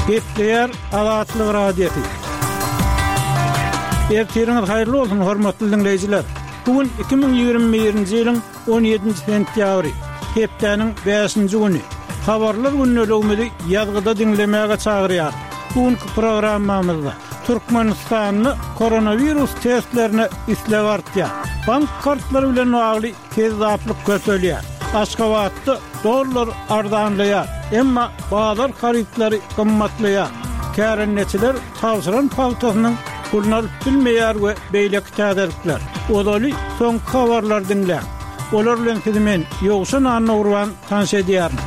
Gepleýär Azatlyk Radiosy. Ertiriňiz haýyrly bolsun, hormatly diňleýjiler! Bu gün 2021-nji ýylyň 17-nji sentýabry, hepdäniň bäşinji güni. Habarlar gündeligimizi ýazgyda diňlemäge çagyrýarys. Bu günki programmamyzda Türkmenistanda koronawirus testlerine isleg artýar. Bank kartlary bilen bagly kezzaplyk köpelýär. Aşgabatda dollar arzanlaýar, emma bazar harytlary gymmatlaýar. Kärendeçiler tabşyran pagtasynyň puluny alyp bilmeýär we beýleki täzelikler. Ozaly soňky habarlary diňläň. Olar bilen sizi men, Ýowşan Annagurban tanyş edýärin.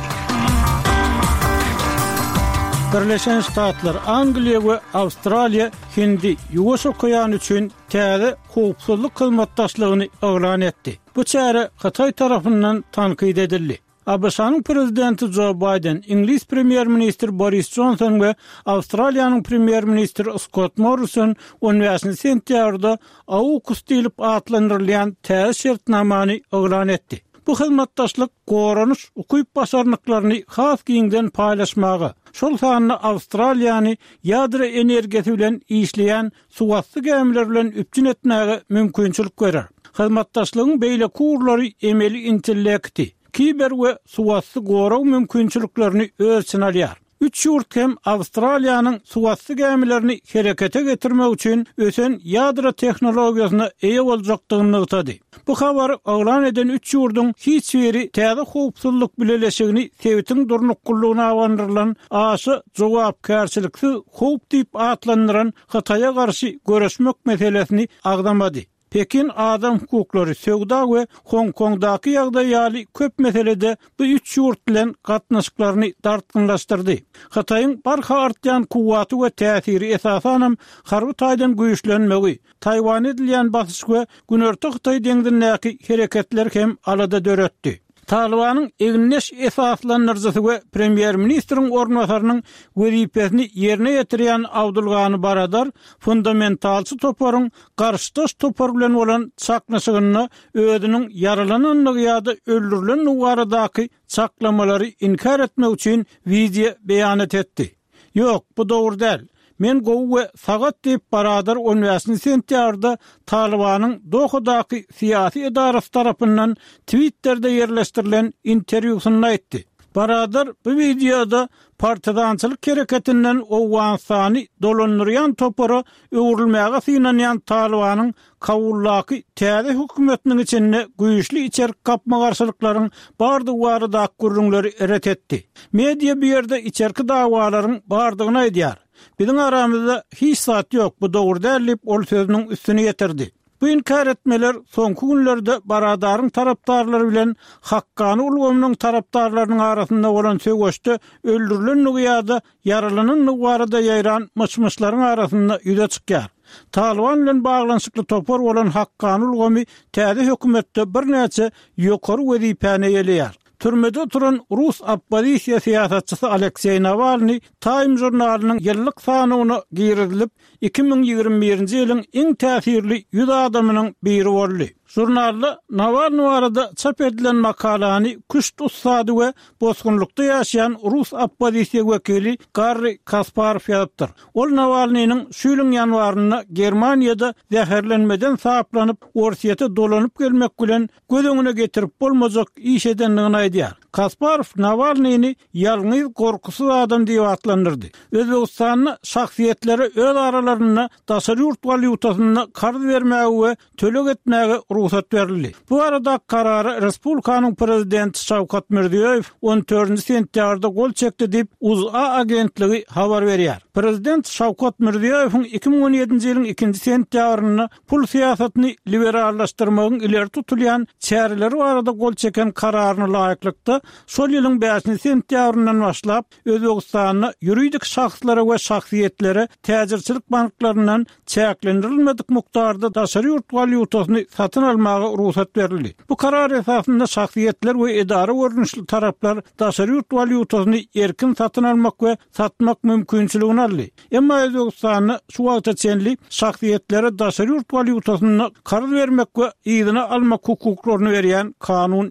Birleşen Ştatlar, Angliýa we Awstraliýa Hindi, Ýuwaş okeany üçin täze howpsuzlyk hyzmatdaşlygyny yglan etdi. Bu çäre Hytaý tarapyndan tankyt edildi. ABŞ-nyň Prezidenti Jo Baýden, iňlis Premýer-ministri Boris Jonson we Awstraliýanyň Premýer-ministri Skott Morrison on bäşinji sentýabrda AUKUS diýlip atlandyrylýan täze şertnamany yglan etdi. Bu hyzmatdaşlyk goranyş ukyp-başarnyklaryny has giňden paýlaşmaga, şol sanda Awstraliýany ýadro energiýasy bilen işleýän suwasty gämiler bilen üpjün etmäge mümkinçilik berer. Hyzmatdaşlygyň beýleki ugurlary emeli intellekti, kiber we suwasty gorag mümkinçiliklerini öz içine alýar. Üç ýurt hem Awstraliýanyň suwasty gämilerini herekete getirmek üçin ösen ýadro tehnologiýasyna eýe boljakdygyny nygtady. Bu habary yglan eden üç ýurduň hiç biri täze howpsuzlyk bileleşigini sebitiň durnuklylygyna abandyrylan aşa jogapkärçiliksiz howp diýip atlandyran Hytaýa garşy göreşmek meselesini agzamady. Pekin adam hukuklary, söwda we Hong-Kongdaky ýagdaý ýaly köp meselede bu üç ýurt bilen gatnaşyklaryny dartgynlaşdyrdy. Hytaýyň barha artýan kuwwaty we täsiri esasanam harby taýdan güýçlenmegi, Taýwana edilýän basyş we Günorta Hytaý deňzindäki hereketler hem alada döretdi. Talybanyň egindeş esaslandyryjysy we premýer-ministriň orunbasarynyň wezipesini ýerine ýetirýän Abdulgani Baradar fundamentalçy toparyň garşydaş topar bilen bolan çaknyşygynda özüniň ýaralanandygy ýa-da öldürilendigi baradaky çaklamalary inkär etmek üçin wideo beýanat etdi. Ýok, bu dogry däl. Men gowy we sagat diýip, Baradar on bäşinji sentýabrda Talybanyň Dohadaky syýasy edarasy tarapyndan Twitterde ýerleşdirilen interwýusynda aýtdy. Baradar bu wideoda partizançylyk hereketinden Owganystany dolandyrýan topara öwrülmäge synanýan Talybanyň Kabuldaky täze hökümetiniň içinde güýçli içerki gapma-garşylyklaryň bardygy baradaky gürrüňleri ret etdi. Media bu ýerde içerki dawalaryň bardygyny aýdýar. Biziň aramyzda hiç zat ýok, bu dogry däl diýip, ol sözüniň üstüni ýetirdi. Bu inkär etmeler soňky günlerde Baradaryň tarapdarlary bilen Hakkany ulgamynyň tarapdarlarynyň arasynda bolan söweşde öldürilendigi ýa-da ýaralanandygy barada ýaýran myş-myşlaryň arasynda ýüze çykýar. Talyban bilen baglanyşykly topar bolan Hakkany ulgamy täze hökümetde birnäçe ýokary wezipäni eýeleýär. Türmede oturan rus oppozisiýa syýasatçysy Alekseý Nawalnyý Time žurnalynyň ýyllyk sanawyna girizilip, 2021-nji ýylyň iň täsirli 100 adamynyň biri boldy. Žurnalda Nawalnyý barada çap edilen makalany küşt ussady we bosgunlykda ýaşaýan rus oppozisiýa wekili Garri Kasparow ýazypdyr. Ol Nawalnynyň şu ýylyň ýanwarynda Germaniýada zäherlenmeden saplanyp, Orsýete dolanyp gelmek bilen göz öňüne getirip bolmajak iş edendigini aýdýar. Kasparow Nawalnyny ýalňyz gorkusyz adam diýip atlandyrdy. Özbegistanda şahsyýetlere öz aralarynda daşary ýurt walýutasynda karz bermäge we töleg etmäge rugsat berildi. Bu baradaky karara respublikanyň prezidenti Şawkat Mirziýoýew on dördünji sentýabrda gol çekdi diýip, UZA agentligi habar berýär. Prezident Şawkat Mirziýoýewiň 2017-nji ýylyň ikinji sentýabrynda pul syýasatyny liberallaşdyrmagyň ileri tutulýan çäreleri barada gol çeken kararyna laýyklykda, şol ýylyň bäşinji sentýabryndan başlap, Özbegistanda ýuridik şahslara we şahsyýetlere täjirçilik banklaryndan çäklendirilmedik mukdarda daşary ýurt walýutasyny satyn almaga rugsat berildi. Bu karar esasynda şahsyýetler we edara görnüşli taraplar daşary ýurt walýutasyny erkin satyn almak we satmak mümkinçiligini aldy. Emma Özbegistanda şu wagta çenli şahsyýetlere daşary ýurt walýutasynda karz bermek we yzyna almak hukuklaryny berýän kanun.